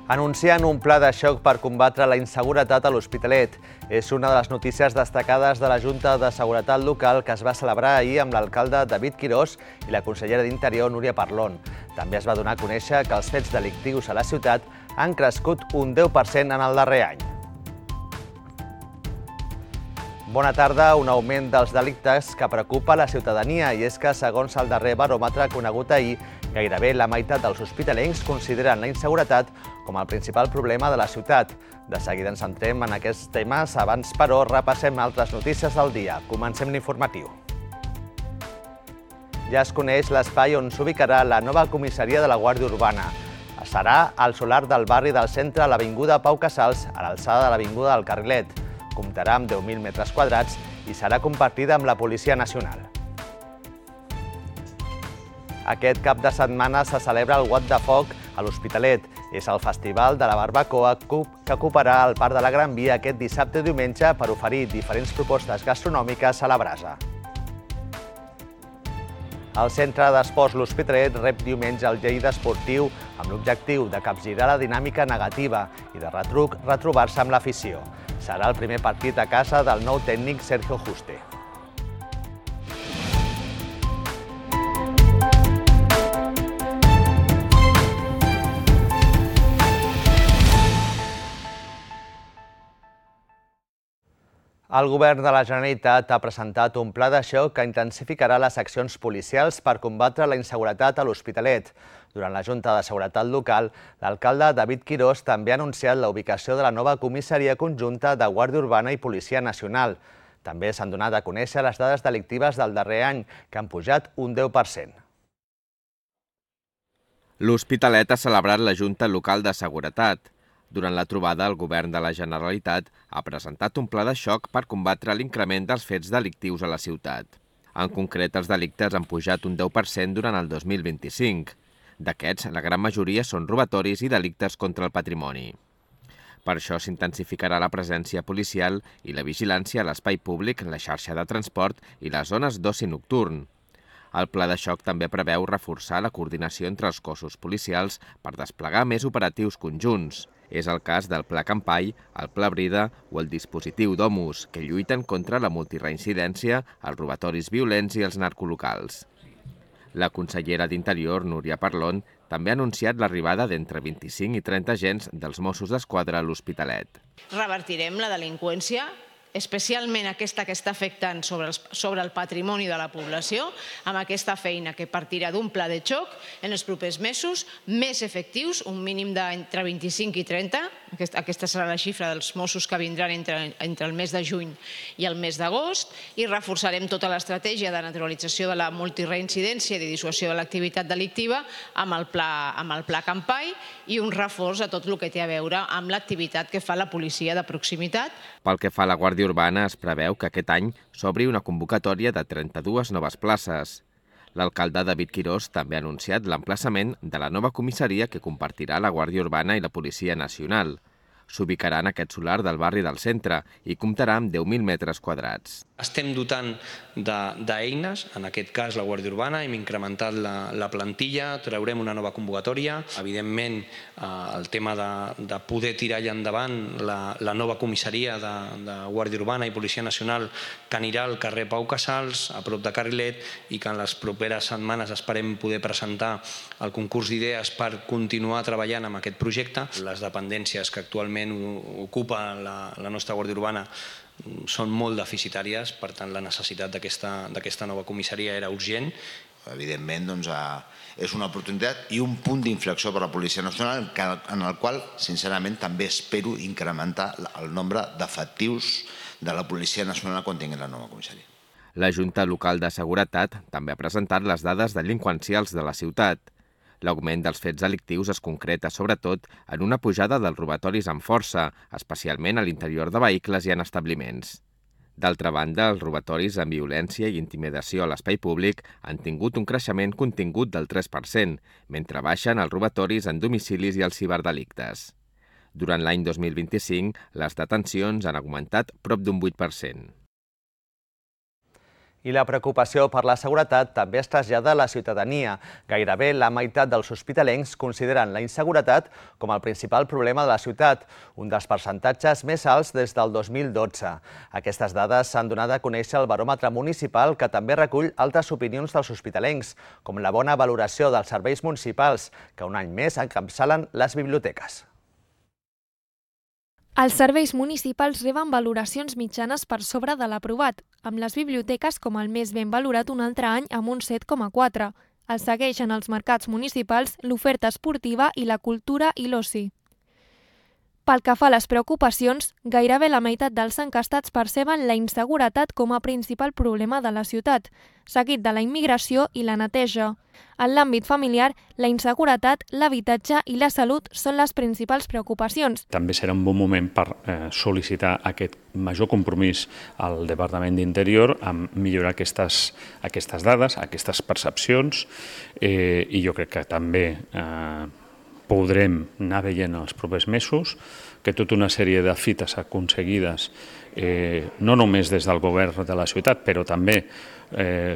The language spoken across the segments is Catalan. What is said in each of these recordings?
Anuncien un pla de xoc per combatre la inseguretat a l'Hospitalet. És una de les notícies destacades de la Junta de Seguretat Local que es va celebrar ahir amb l'alcalde David Quirós i la consellera d'Interior Núria Parlon. També es va donar a conèixer que els fets delictius a la ciutat han crescut un 10% en el darrer any. Bona tarda. Un augment dels delictes que preocupa la ciutadania i és que, segons el darrer baròmetre conegut ahir, gairebé la meitat dels hospitalencs consideren la inseguretat com el principal problema de la ciutat. De seguida ens centrem en aquests temes. Abans, però, repassem altres notícies del dia. Comencem l'informatiu. Ja es coneix l'espai on s'ubicarà la nova comissaria de la Guàrdia Urbana. Serà al solar del barri del centre, a l'Avinguda Pau Casals, a l'alçada de l'Avinguda del Carrilet. Comptarà amb 10.000 metres quadrats i serà compartida amb la Policia Nacional. Aquest cap de setmana se celebra el What the Foc a l'Hospitalet. És el festival de la barbacoa que ocuparà el Parc de la Gran Via aquest dissabte i diumenge per oferir diferents propostes gastronòmiques a la brasa. El Centre d'Esports L'Hospitalet rep diumenge el Lleida Esportiu amb l'objectiu de capgirar la dinàmica negativa i de retruc retrobar-se amb l'afició. Serà el primer partit a casa del nou tècnic Sergio Juste. El Govern de la Generalitat ha presentat un pla de xoc que intensificarà les accions policials per combatre la inseguretat a l'Hospitalet. Durant la Junta de Seguretat Local, l'alcalde David Quirós també ha anunciat la ubicació de la nova comissaria conjunta de Guàrdia Urbana i Policia Nacional. També s'han donat a conèixer les dades delictives del darrer any, que han pujat un 10%. L'Hospitalet ha celebrat la Junta Local de Seguretat. Durant la trobada, el Govern de la Generalitat ha presentat un pla de xoc per combatre l'increment dels fets delictius a la ciutat. En concret, els delictes han pujat un 10% durant el 2025. D'aquests, la gran majoria són robatoris i delictes contra el patrimoni. Per això s'intensificarà la presència policial i la vigilància a l'espai públic, la xarxa de transport i les zones d'oci nocturn. El pla de xoc també preveu reforçar la coordinació entre els cossos policials per desplegar més operatius conjunts. És el cas del Pla Campai, el Pla Brida o el dispositiu Domus, que lluiten contra la multireincidència, els robatoris violents i els narcolocals. La consellera d'Interior, Núria Parlon, també ha anunciat l'arribada d'entre 25 i 30 agents dels Mossos d'Esquadra a l'Hospitalet. Revertirem la delinqüència, especialment aquesta que està afectant sobre el patrimoni de la població, amb aquesta feina que partirà d'un pla de xoc en els propers mesos, més efectius, un mínim d'entre 25 i 30, aquesta serà la xifra dels Mossos que vindran entre el mes de juny i el mes d'agost, i reforçarem tota l'estratègia de naturalització de la multireincidència i de dissuasió de l'activitat delictiva amb el pla Campai i un reforç a tot el que té a veure amb l'activitat que fa la policia de proximitat. Pel que fa a la Guàrdia Urbana, es preveu que aquest any s'obri una convocatòria de 32 noves places. L'alcalde David Quirós també ha anunciat l'emplaçament de la nova comissaria que compartirà la Guàrdia Urbana i la Policia Nacional. S'ubicarà en aquest solar del barri del centre i comptarà amb 10.000 metres quadrats. Estem dotant d'eines, en aquest cas la Guàrdia Urbana, hem incrementat la plantilla, traurem una nova convocatòria. Evidentment, el tema de poder tirar allà endavant la nova comissaria de Guàrdia Urbana i Policia Nacional que anirà al carrer Pau Casals, a prop de Carrilet, i que en les properes setmanes esperem poder presentar el concurs d'idees per continuar treballant amb aquest projecte. Les dependències que actualment ocupa la nostra Guàrdia Urbana són molt deficitàries, per tant la necessitat d'aquesta nova comissaria era urgent. Evidentment, és una oportunitat i un punt d'inflexió per a la Policia Nacional en el qual, sincerament, també espero incrementar el nombre d'efectius de la Policia Nacional quan tingui la nova comissaria. La Junta Local de Seguretat també ha presentat les dades delinqüencials de la ciutat. L'augment dels fets delictius es concreta sobretot en una pujada dels robatoris amb força, especialment a l'interior de vehicles i en establiments. D'altra banda, els robatoris amb violència i intimidació a l'espai públic han tingut un creixement contingut del 3%, mentre baixen els robatoris en domicilis i els ciberdelictes. Durant l'any 2025, les detencions han augmentat prop d'un 8%. I la preocupació per la seguretat també es trasllada a la ciutadania. Gairebé la meitat dels hospitalencs consideren la inseguretat com el principal problema de la ciutat, un dels percentatges més alts des del 2012. Aquestes dades s'han donat a conèixer al baròmetre municipal, que també recull altres opinions dels hospitalencs, com la bona valoració dels serveis municipals, que un any més encapçalen les biblioteques. Els serveis municipals reben valoracions mitjanes per sobre de l'aprovat, amb les biblioteques com el més ben valorat un altre any amb un 7,4. El segueixen els mercats municipals, l'oferta esportiva i la cultura i l'oci. Pel que fa a les preocupacions, gairebé la meitat dels enquestats perceben la inseguretat com a principal problema de la ciutat, seguit de la immigració i la neteja. En l'àmbit familiar, la inseguretat, l'habitatge i la salut són les principals preocupacions. També serà un bon moment per sol·licitar aquest major compromís al Departament d'Interior amb millorar aquestes dades, aquestes percepcions, i jo crec que també podrem anar veient els propers mesos que tota una sèrie de fites aconseguides, no només des del govern de la ciutat, però també,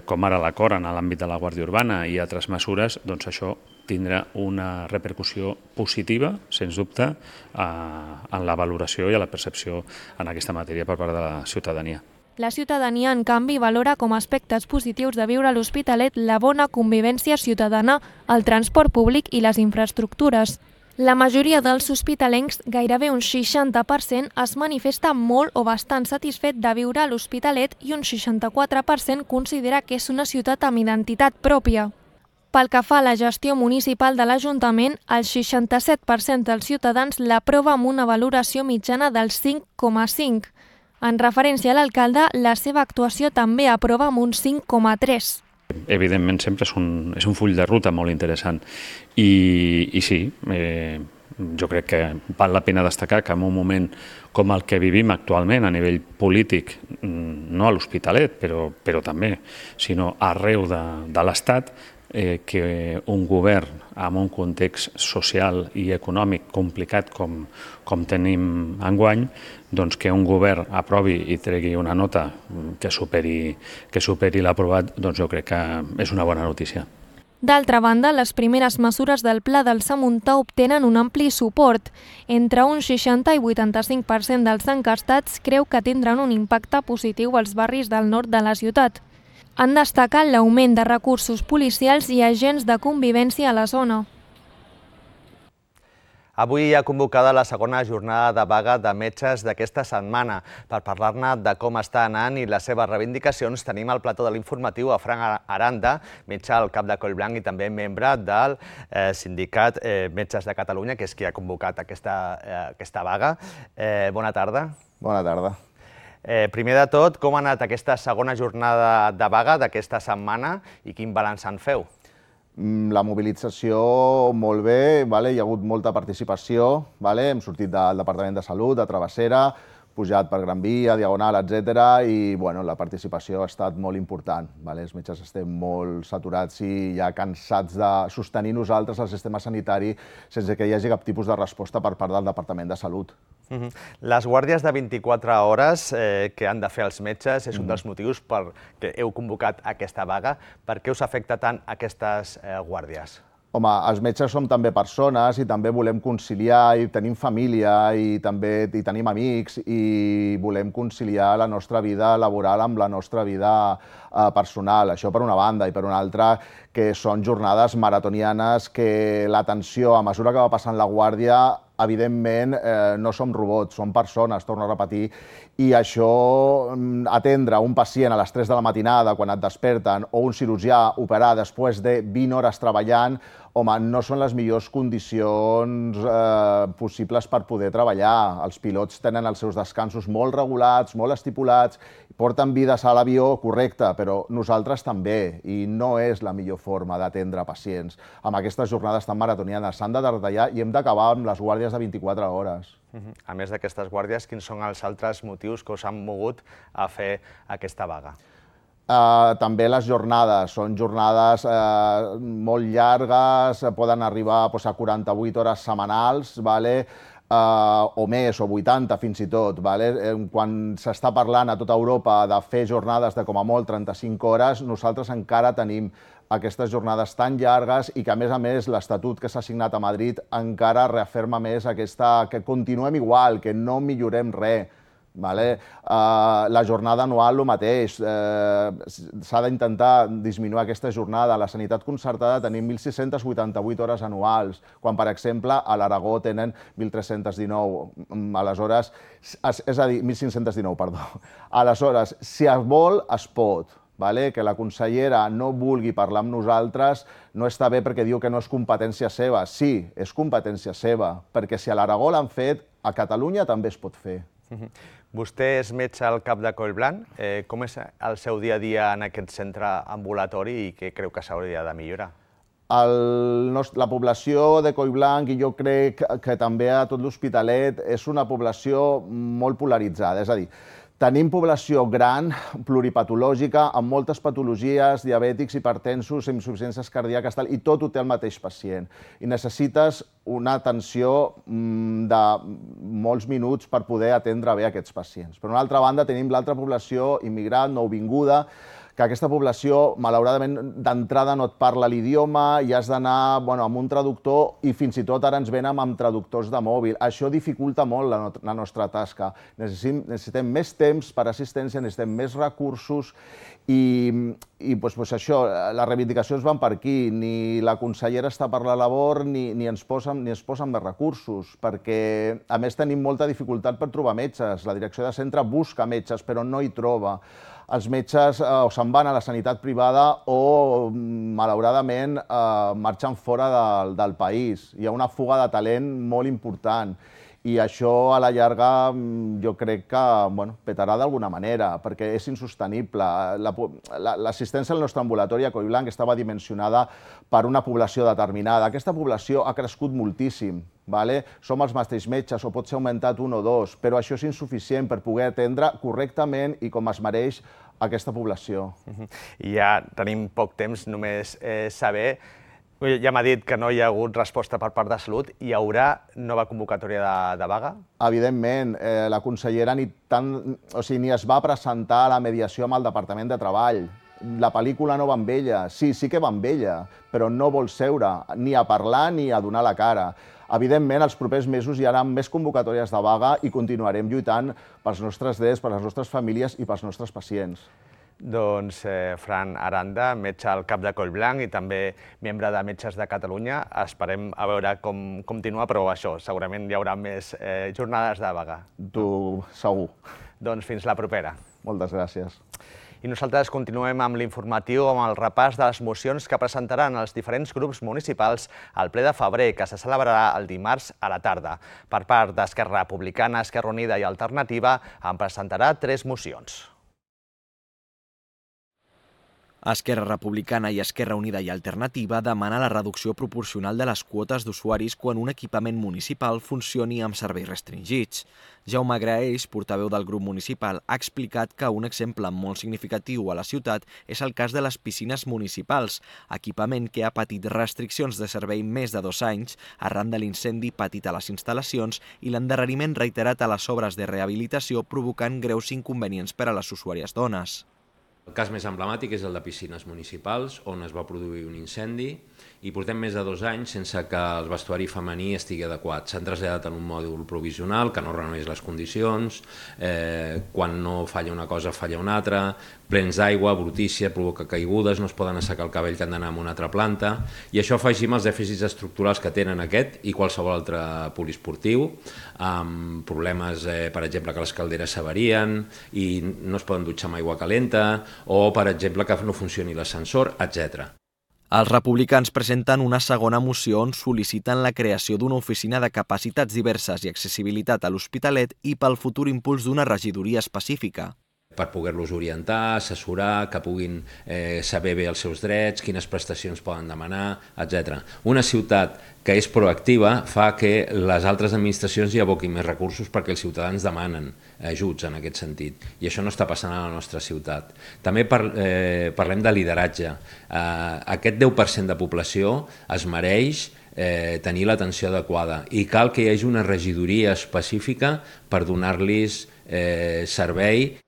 com ara l'acord en l'àmbit de la Guàrdia Urbana i altres mesures, doncs això tindrà una repercussió positiva, sens dubte, en la valoració i a la percepció en aquesta matèria per part de la ciutadania. La ciutadania, en canvi, valora com a aspectes positius de viure a l'Hospitalet la bona convivència ciutadana, el transport públic i les infraestructures. La majoria dels hospitalencs, gairebé un 60%, es manifesta molt o bastant satisfet de viure a l'Hospitalet i un 64% considera que és una ciutat amb identitat pròpia. Pel que fa a la gestió municipal de l'Ajuntament, el 67% dels ciutadans l'aprova amb una valoració mitjana del 5,5. En referència a l'alcalde, la seva actuació també aprova amb un 5,3. Evidentment, sempre és un full de ruta molt interessant. I sí, jo crec que val la pena destacar que en un moment com el que vivim actualment a nivell polític, no a l'Hospitalet, però també, sinó arreu de l'Estat, que un govern amb un context social i econòmic complicat com tenim enguany, doncs que un govern aprovi i tregui una nota que superi l'aprovat, doncs jo crec que és una bona notícia. D'altra banda, les primeres mesures del Pla del Samuntà obtenen un ampli suport. Entre un 60 i 85% dels enquestats creu que tindran un impacte positiu als barris del nord de la ciutat. Han destacat l'augment de recursos policials i agents de convivència a la zona. Avui hi ha convocada la segona jornada de vaga de metges d'aquesta setmana. Per parlar-ne de com està anant i les seves reivindicacions, tenim al plató de l'informatiu a Frank Aranda, metge al Cap de Collblanc i també membre del sindicat Metges de Catalunya, que és qui ha convocat aquesta vaga. Bona tarda. Bona tarda. Primer de tot, com ha anat aquesta segona jornada de vaga d'aquesta setmana i quin balanç en feu? La mobilització molt bé, hi ha hagut molta participació, hem sortit del Departament de Salut, de Travessera, pujat per Gran Via, Diagonal, etc. I la participació ha estat molt important. Els metges estem molt saturats i ja cansats de sostenir nosaltres el sistema sanitari sense que hi hagi cap tipus de resposta per part del Departament de Salut. Les guàrdies de 24 hores que han de fer els metges és un dels motius per què heu convocat aquesta vaga. Per què us afecta tant aquestes guàrdies? Home, els metges som també persones i també volem conciliar i tenim família i també tenim amics i volem conciliar la nostra vida laboral amb la nostra vida personal. Això per una banda, i per una altra que són jornades maratonianes que l'atenció, a mesura que va passant la guàrdia, evidentment no som robots, som persones, torno a repetir, i això, atendre un pacient a les 3 de la matinada quan et desperten o un cirurgià operar després de 20 hores treballant, home, no són les millors condicions possibles per poder treballar. Els pilots tenen els seus descansos molt regulats, molt estipulats, porten vides a l'avió, correcte, però nosaltres també, i no és la millor forma d'atendre pacients. Amb aquestes jornades tan maratonianes s'han de detallar i hem d'acabar amb les guàrdies de 24 hores. A més d'aquestes guàrdies, quins són els altres motius que us han mogut a fer aquesta vaga? També les jornades, són jornades molt llargues, poden arribar a 48 hores setmanals, o més, o 80 fins i tot. Quan s'està parlant a tota Europa de fer jornades de com a molt 35 hores, nosaltres encara tenim aquestes jornades tan llargues i que, a més, l'Estatut que s'ha signat a Madrid encara reafirma més que continuem igual, que no millorem res. La jornada anual, el mateix. S'ha d'intentar disminuir aquesta jornada. A la sanitat concertada tenim 1.688 hores anuals, quan, per exemple, a l'Aragó tenen 1.319. Aleshores, és a dir, 1.519, perdó. Aleshores, si es vol, es pot. Que la consellera no vulgui parlar amb nosaltres no està bé perquè diu que no és competència seva. Sí, és competència seva, perquè si a l'Aragó l'han fet, a Catalunya també es pot fer. Vostè és metge al CAP de Collblanc. Com és el seu dia a dia en aquest centre ambulatori i què creu que s'hauria de millorar? La població de Collblanc, i jo crec que també a tot l'Hospitalet, és una població molt polaritzada. És a dir, tenim població gran, pluripatològica, amb moltes patologies, diabètics, hipertensos, insuficiències cardíaques, i tot ho té el mateix pacient. I necessites una atenció de molts minuts per poder atendre bé aquests pacients. Per una altra banda, tenim l'altra població immigrant, nouvinguda, que aquesta població, malauradament, d'entrada no et parla l'idioma i has d'anar amb un traductor i fins i tot ara ens venen amb traductors de mòbil. Això dificulta molt la nostra tasca. Necessitem més temps per assistència, necessitem més recursos i això, les reivindicacions van per aquí. Ni la consellera està per la labor ni ens posen més recursos, perquè a més tenim molta dificultat per trobar metges. La direcció de centre busca metges però no hi troba. Els metges o se'n van a la sanitat privada o, malauradament, marxen fora del país. Hi ha una fuga de talent molt important i això, a la llarga, jo crec que petarà d'alguna manera, perquè és insostenible. L'assistència al nostre ambulatori a Collblanc estava dimensionada per una població determinada. Aquesta població ha crescut moltíssim. Som els mateixos metges, o pot ser augmentat un o dos, però això és insuficient per poder atendre correctament i com es mereix aquesta població. I ja tenim poc temps, només saber, ja m'ha dit que no hi ha hagut resposta per part de Salut, hi haurà nova convocatòria de vaga? Evidentment, la consellera ni es va presentar a la mediació amb el Departament de Treball. La pel·lícula no va amb ella, sí que va amb ella, però no vol seure ni a parlar ni a donar la cara. Evidentment, els propers mesos hi haurà més convocatòries de vaga i continuarem lluitant pels nostres drets, per les nostres famílies i pels nostres pacients. Doncs Fran Aranda, metge al CAP de Collblanc i també membre de Metges de Catalunya. Esperem a veure com continua, però això, segurament hi haurà més jornades de vaga. Tu, segur. Doncs fins la propera. Moltes gràcies. I nosaltres continuem amb l'informatiu, amb el repàs de les mocions que presentaran els diferents grups municipals al ple de febrer, que se celebrarà el dimarts a la tarda. Per part d'Esquerra Republicana, Esquerra Unida i Alternativa, en presentarà 3 mocions. Esquerra Republicana i Esquerra Unida i Alternativa demana la reducció proporcional de les quotes d'usuaris quan un equipament municipal funcioni amb serveis restringits. Jaume Graells, portaveu del grup municipal, ha explicat que un exemple molt significatiu a la ciutat és el cas de les piscines municipals, equipament que ha patit restriccions de servei més de 2 anys arran de l'incendi patit a les instal·lacions i l'endarreriment reiterat a les obres de rehabilitació provocant greus inconvenients per a les usuàries dones. El cas més emblemàtic és el de piscines municipals, on es va produir un incendi i portem més de 2 anys sense que el vestuari femení estigui adequat. S'han traslladat en un mòdul provisional que no reuneix les condicions, quan no falla una cosa falla una altra, plens d'aigua, brutícia, provoca caigudes, no es poden assecar el cabell que han d'anar a una altra planta, i això afegim els dèficits estructurals que tenen aquest i qualsevol altre poliesportiu, amb problemes, per exemple, que les calderes s'avarien i no es poden dutxar amb aigua calenta, o, per exemple, que no funcioni l'ascensor, etc. Els republicans presenten una segona moció on sol·liciten la creació d'una oficina de capacitats diverses i accessibilitat a l'Hospitalet i pel futur impuls d'una regidoria específica. Per poder-los orientar, assessorar, que puguin saber bé els seus drets, quines prestacions poden demanar, etc. Una ciutat que és proactiva fa que les altres administracions hi aboquin més recursos perquè els ciutadans demanen ajuts en aquest sentit, i això no està passant a la nostra ciutat. També parlem de lideratge. Aquest 10% de població es mereix tenir l'atenció adequada i cal que hi hagi una regidoria específica per donar-los servei.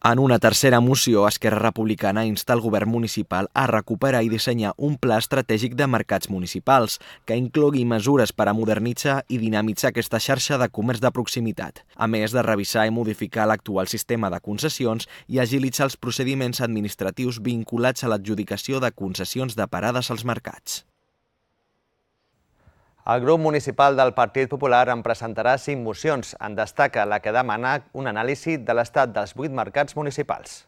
En una tercera moció, Esquerra Republicana insta el govern municipal a recuperar i dissenyar un pla estratègic de mercats municipals que inclogui mesures per a modernitzar i dinamitzar aquesta xarxa de comerç de proximitat, a més de revisar i modificar l'actual sistema de concessions i agilitzar els procediments administratius vinculats a l'adjudicació de concessions de parades als mercats. El grup municipal del Partit Popular en presentarà 5 mocions. En destaca la que demana un anàlisi de l'estat dels 8 mercats municipals.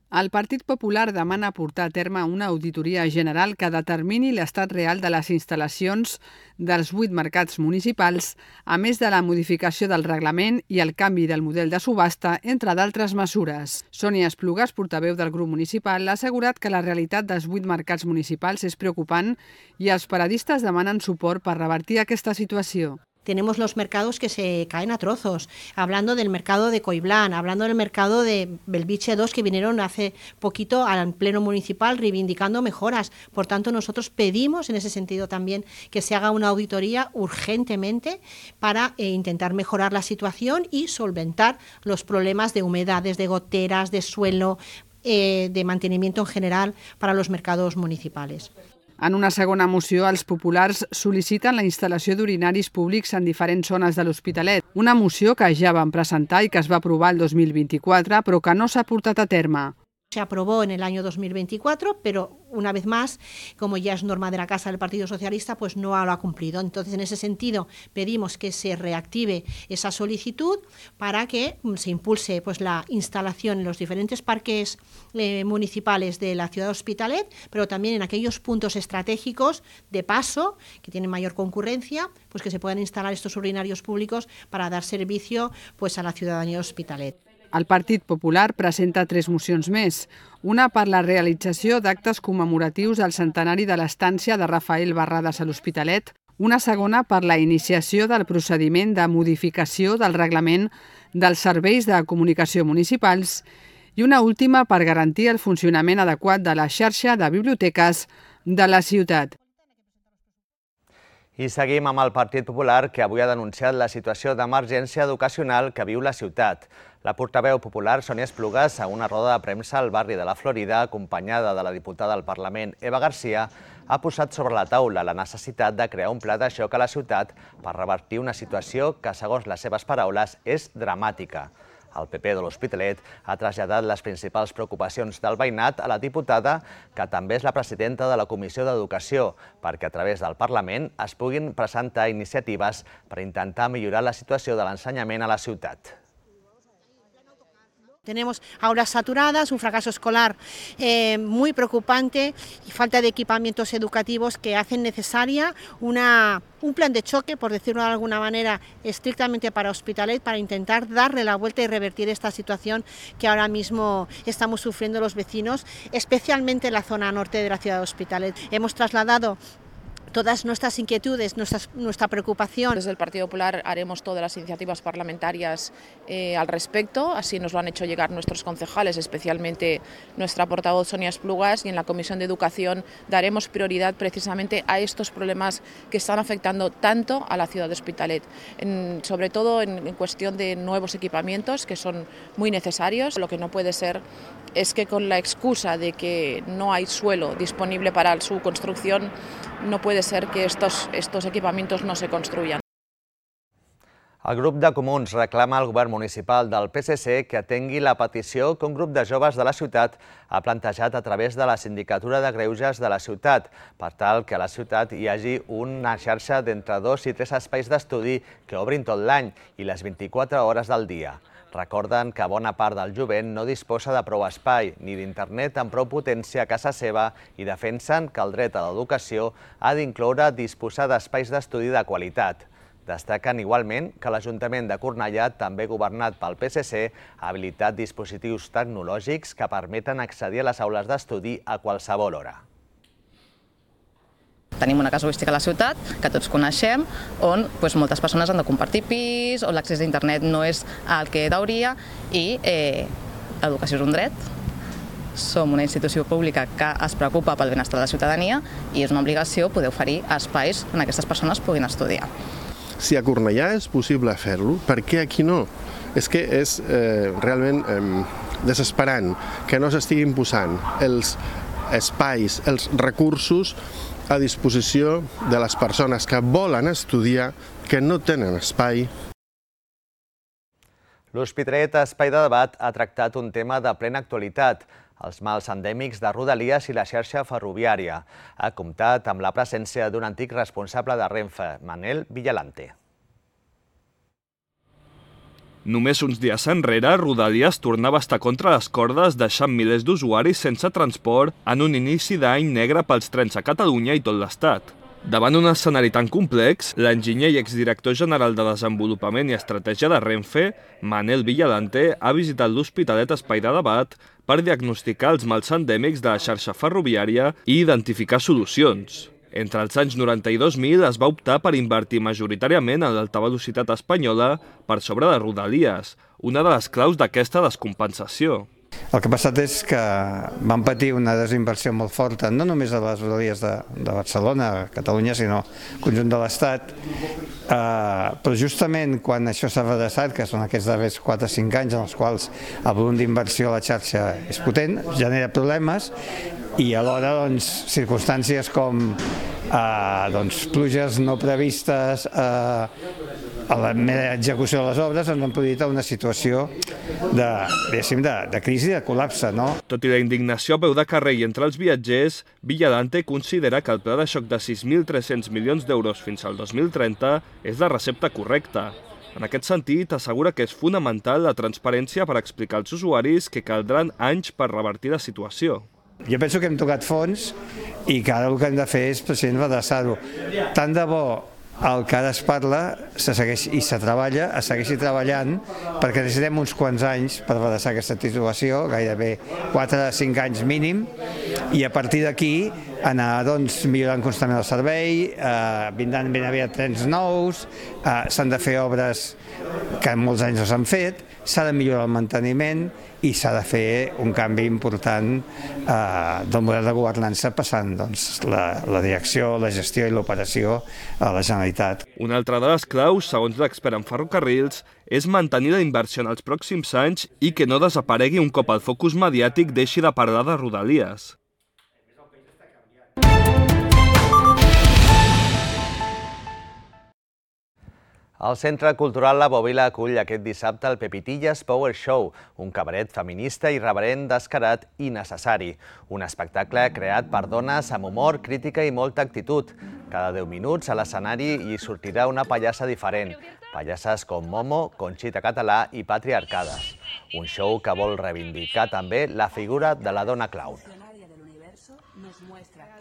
El Partit Popular demana portar a terme una auditoria general que determini l'estat real de les instal·lacions dels 8 mercats municipals, a més de la modificació del reglament i el canvi del model de subhasta, entre d'altres mesures. Sònia Esplugas, portaveu del grup municipal, ha assegurat que la realitat dels 8 mercats municipals és preocupant i els paradistes demanen suport per revertir aquesta situació. Tenemos los mercados que se caen a trozos, hablando del mercado de Coiblán, hablando del mercado de Belviche 2 que vinieron hace poquito al pleno municipal reivindicando mejoras. Por tanto, nosotros pedimos en ese sentido también que se haga una auditoría urgentemente para intentar mejorar la situación y solventar los problemas de humedades, de goteras, de suelo, de mantenimiento en general para los mercados municipales. En una segona moció, els populars sol·liciten la instal·lació d'urinaris públics en diferents zones de l'Hospitalet. Una moció que ja van presentar i que es va aprovar el 2024, però que no s'ha portat a terme. Se aprobó en el año 2024, pero una vez más, como ya es norma de la Casa del Partido Socialista, pues no lo ha cumplido. Entonces, en ese sentido, pedimos que se reactive esa solicitud para que se impulse pues, la instalación en los diferentes parques municipales de la ciudad de Hospitalet, pero también en aquellos puntos estratégicos de paso, que tienen mayor concurrencia, pues que se puedan instalar estos urinarios públicos para dar servicio pues, a la ciudadanía de Hospitalet. El Partit Popular presenta 3 mocions més. Una per la realització d'actes commemoratius al centenari de l'estància de Rafael Barradas a l'Hospitalet, una segona per la iniciació del procediment de modificació del reglament dels serveis de comunicació municipals i una última per garantir el funcionament adequat de la xarxa de biblioteques de la ciutat. I seguim amb el Partit Popular, que avui ha denunciat la situació d'emergència educacional que viu la ciutat. La portaveu popular, Sònia Esplugas, a una roda de premsa al barri de la Florida, acompanyada de la diputada al Parlament, Eva Garcia, ha posat sobre la taula la necessitat de crear un pla de xoc a la ciutat per revertir una situació que, segons les seves paraules, és dramàtica. El PP de l'Hospitalet ha traslladat les principals preocupacions del veïnat a la diputada, que també és la presidenta de la Comissió d'Educació, perquè a través del Parlament es puguin presentar iniciatives per intentar millorar la situació de l'ensenyament a la ciutat. Tenemos aulas saturadas, un fracaso escolar muy preocupante y falta de equipamientos educativos que hacen necesaria un plan de choque, por decirlo de alguna manera, estrictamente para Hospitalet, para intentar darle la vuelta y revertir esta situación que ahora mismo estamos sufriendo los vecinos, especialmente en la zona norte de la ciudad de Hospitalet. Hemos trasladado todas nuestras inquietudes, nuestra preocupación. Desde el Partido Popular haremos todas las iniciativas parlamentarias al respecto, así nos lo han hecho llegar nuestros concejales, especialmente nuestra portavoz Sònia Esplugas, y en la Comisión de Educación daremos prioridad precisamente a estos problemas que están afectando tanto a la ciudad de Hospitalet, sobre todo en cuestión de nuevos equipamientos que son muy necesarios. Lo que no puede ser es que con la excusa de que no hay suelo disponible para su construcción, no puede ser que estos equipamientos no se construyan. El grup de Comuns reclama al govern municipal del PSC que atengui la petició que un grup de joves de la ciutat ha plantejat a través de la Sindicatura de Greuges de la ciutat, per tal que a la ciutat hi hagi una xarxa d'entre 2 i 3 espais d'estudi que obrin tot l'any i les 24 hores del dia. Recorden que bona part del jovent no disposa de prou espai ni d'internet amb prou potència a casa seva i defensen que el dret a l'educació ha d'incloure disposar d'espais d'estudi de qualitat. Destaquen igualment que l'Ajuntament de Cornellà, també governat pel PSC, ha habilitat dispositius tecnològics que permeten accedir a les aules d'estudi a qualsevol hora. Tenim una casuística a la ciutat, que tots coneixem, on moltes persones han de compartir pis, on l'accés a internet no és el que hauria i l'educació és un dret. som una institució pública que es preocupa pel benestar de la ciutadania i és una obligació poder oferir espais on aquestes persones puguin estudiar. Si a Cornellà és possible fer-lo, per què aquí no? És que és realment desesperant que no s'estiguin posant els espais, els recursos a disposició de les persones que volen estudiar, que no tenen espai. L'Hospitalet Espai de Debat ha tractat un tema de plena actualitat, els mals endèmics de Rodalies i la xarxa ferroviària. Ha comptat amb la presència d'un antic responsable de Renfe, Manel Villalante. Només uns dies enrere, Rodalies tornava a estar contra les cordes, deixant milers d'usuaris sense transport en un inici d'any negre pels trens a Catalunya i tot l'Estat. Davant un escenari tan complex, l'enginyer i exdirector general de Desenvolupament i Estratègia de Renfe, Manel Villalante, ha visitat l'Hospitalet Espai de Debat per diagnosticar els mals endèmics de la xarxa ferroviària i identificar solucions. Entre els anys 90 i 2000 es va optar per invertir majoritàriament en l'alta velocitat espanyola per sobre de Rodalies, una de les claus d'aquesta descompensació. El que ha passat és que van patir una desinversió molt forta, no només a les rodalies de Barcelona, Catalunya, sinó al conjunt de l'Estat. Però justament quan això s'ha redreçat, que són aquests darrers 4 o 5 anys en els quals el volum d'inversió a la xarxa és potent, genera problemes i alhora circumstàncies com pluges no previstes a la mera execució de les obres ens han produït una situació de crisi, de col·lapse. Tot i la indignació a peu de carrer i entre els viatgers, Villalante considera que el pla de xoc de 6.300 milions d'euros fins al 2030 és la recepta correcta. En aquest sentit, assegura que és fonamental la transparència per explicar als usuaris que caldran anys per revertir la situació. Jo penso que hem tocat fons i que ara el que hem de fer és precisament redreçar-ho. Tant de bo el que ara es parla se segueix i se treballa, es segueixi treballant, perquè necessitem uns quants anys per redreçar aquesta situació, gairebé 4 o 5 anys mínim, i a partir d'aquí anar millorant constantment el servei, vindran ben aviat trens nous, s'han de fer obres que en molts anys no s'han fet, s'ha de millorar el manteniment i s'ha de fer un canvi important del model de governança passant la direcció, la gestió i l'operació a la Generalitat. Una altra de les claus, segons l'expert en ferrocarrils, és mantenir la inversió en els pròxims anys i que no desaparegui un cop el focus mediàtic deixi de parlar de Rodalies. El Centre Cultural La Bòbila acull aquest dissabte el Pepitillas Power Show, un cabaret feminista irreverent, descarat i necessari. Un espectacle creat per dones amb humor, crítica i molta actitud. Cada 10 minuts a l'escenari hi sortirà una pallassa diferent. Pallasses com Momo, Conxita Català i Patriarcades. Un show que vol reivindicar també la figura de la dona clown.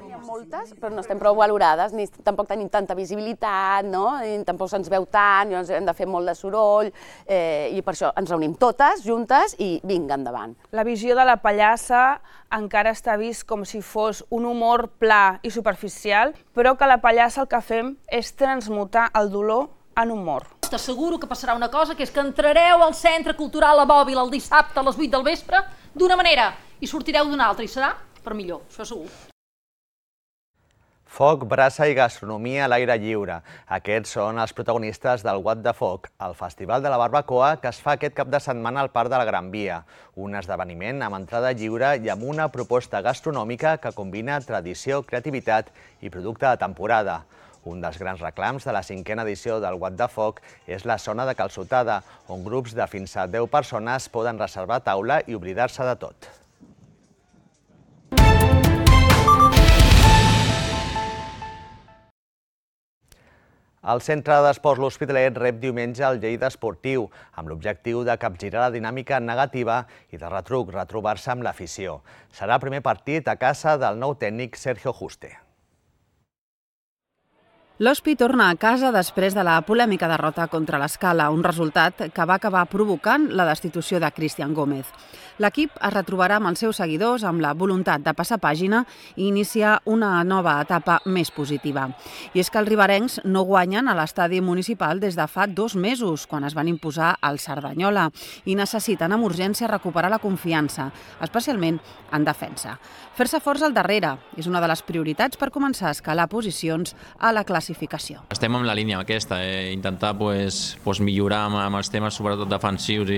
Hi ha moltes, però no estem prou valorades, ni tampoc tenim tanta visibilitat, ni tampoc se'ns veu tant, llavors hem de fer molt de soroll, i per això ens reunim totes juntes i vinga, endavant. La visió de la pallassa encara està vist com si fos un humor pla i superficial, però que la pallassa el que fem és transmutar el dolor en humor. T'asseguro que passarà una cosa, que és que entrareu al Centre Cultural La Bòbila el dissabte a les 8 del vespre d'una manera i sortireu d'una altra, i serà per millor, això segur. Foc, braça i gastronomia a l'aire lliure. Aquests són els protagonistes del What the Foc, el Festival de la Barbacoa que es fa aquest cap de setmana al Parc de la Gran Via. Un esdeveniment amb entrada lliure i amb una proposta gastronòmica que combina tradició, creativitat i producte de temporada. Un dels grans reclams de la 5a edició del What the Foc és la zona de calçotada, on grups de fins a 10 persones poden reservar taula i oblidar-se de tot. El Centre d'Esports L'Hospitalet rep diumenge el Lleida Esportiu, amb l'objectiu de capgirar la dinàmica negativa i de retruc retrobar-se amb l'afició. Serà el primer partit a casa del nou tècnic Sergio Juste. L'Hospi torna a casa després de la polèmica derrota contra l'Escala, un resultat que va acabar provocant la destitució de Cristian Gómez. L'equip es retrobarà amb els seus seguidors amb la voluntat de passar pàgina i iniciar una nova etapa més positiva. I és que els riberencs no guanyen a l'estadi municipal des de fa 2 mesos, quan es van imposar al Cerdanyola, i necessiten amb urgència recuperar la confiança, especialment en defensa. Fer-se forts al darrere és una de les prioritats per començar a escalar posicions a la classificació. Estem en la línia aquesta, intentar millorar amb els temes sobretot defensius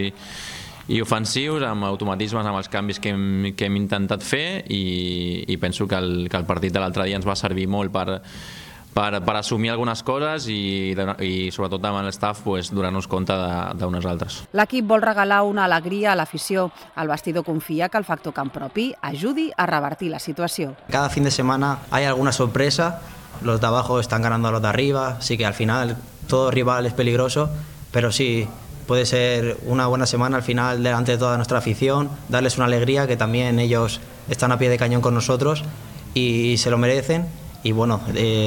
i ofensius, amb automatismes, amb els canvis que hem intentat fer, i penso que el partit de l'altre dia ens va servir molt per assumir algunes coses i sobretot amb l'estaf donar-nos compte d'unes altres. L'equip vol regalar una alegria a l'afició. El vestidor confia que el factor camp propi ajudi a revertir la situació. Cada fin de semana hay alguna sorpresa, los de abajo están ganando a los de arriba, así que al final todo rival es peligroso, pero sí, puede ser una buena semana al final delante de toda nuestra afición, darles una alegría, que también ellos están a pie de cañón con nosotros y se lo merecen, y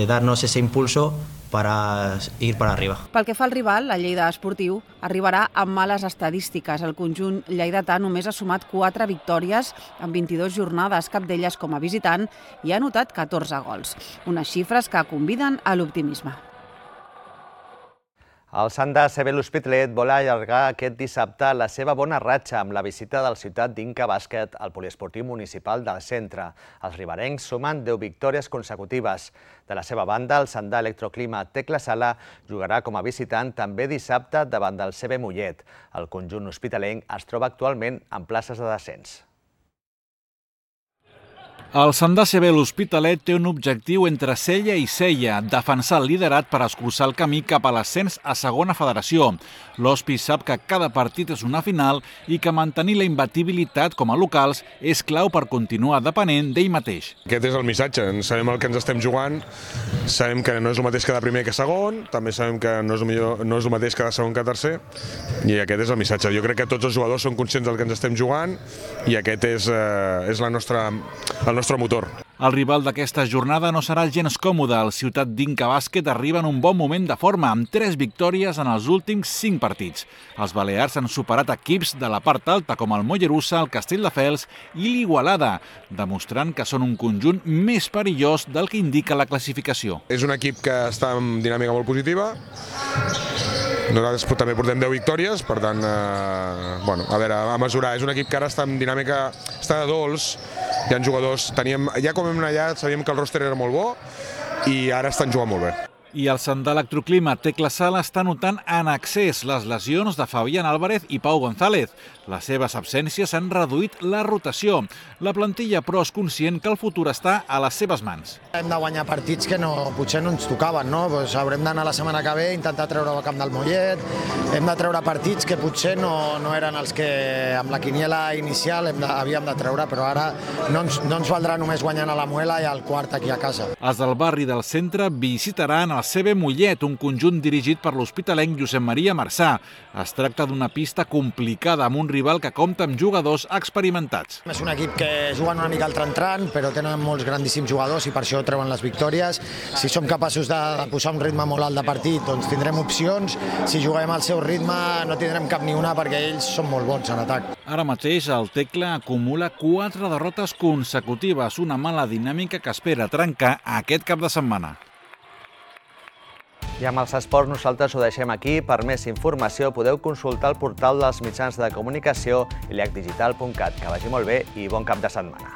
darnos ese impulso para ir para arriba. Pel que fa al rival, la Lleida Esportiu arribarà amb males estadístiques. El conjunt lleidatà només ha sumat 4 victòries en 22 jornades, cap d'elles com a visitant, i ha anotat 14 gols. Unes xifres que conviden a l'optimisme. El Sant de CB l'Hospitalet vol allargar aquest dissabte la seva bona ratxa amb la visita del Ciutat d'Inca Bàsquet al poliesportiu municipal del centre. Els riberencs sumen 10 victòries consecutives. De la seva banda, el Sant d'Electroclima Tecla Sala jugarà com a visitant també dissabte davant del CB Mollet. El conjunt hospitalenc es troba actualment en places de descens. El Sant de CB l'Hospitalet té un objectiu entre cella i cella, defensar el liderat per escurçar el camí cap a l'ascens a segona federació. L'Hospi sap que cada partit és una final i que mantenir la imbatibilitat com a locals és clau per continuar depenent d'ell mateix. Aquest és el missatge, sabem el que ens estem jugant, sabem que no és el mateix que de primer que segon, també sabem que no és el mateix que de segon que tercer, i aquest és el missatge. Jo crec que tots els jugadors són conscients del que ens estem jugant i aquest és el nostre motor. El rival d'aquesta jornada no serà gens còmode. El Ciutat d'Inca Bàsquet arriba en un bon moment de forma, amb 3 victòries en els últims 5 partits. Els balears han superat equips de la part alta com el Mollerussa, el Castelldefels i l'Igualada, demostrant que són un conjunt més perillós del que indica la classificació. És un equip que està en dinàmica molt positiva. Nosaltres també portem 10 victòries, per tant, a veure, a mesurar. És un equip que ara està en dinàmica, està de dolç, hi ha jugadors, ja com hem anat allà sabíem que el ròster era molt bo i ara estan jugant molt bé. I el Sant d'Electroclima Tecla Sala està notant en excés les lesions de Fabián Álvarez i Pau González. Les seves absències han reduït la rotació. La plantilla, però, és conscient que el futur està a les seves mans. Hem de guanyar partits que potser no ens tocaven, no? Haurem d'anar la setmana que ve a intentar treure el camp del Mollet, hem de treure partits que potser no eren els que amb la quiniela inicial havíem de treure, però ara no ens valdrà només guanyant a la Muela i al Quart aquí a casa. Els del barri del centre visitaran el CB Mollet, un conjunt dirigit per l'hospitalenc Josep Maria Marçà. Es tracta d'una pista complicada amb un rival que compta amb jugadors experimentats. És un equip que juguen una mica al tran-tran, però tenen molts grandíssims jugadors i per això treuen les victòries. Si som capaços de posar un ritme molt alt de partit, doncs tindrem opcions. Si juguem al seu ritme no tindrem cap ni una perquè ells són molt bons en atac. Ara mateix el Tecla acumula 4 derrotes consecutives, una mala dinàmica que espera trencar aquest cap de setmana. I amb els esports nosaltres ho deixem aquí. Per més informació podeu consultar el portal dels mitjans de comunicació iliacdigital.cat. Que vagi molt bé i bon cap de setmana.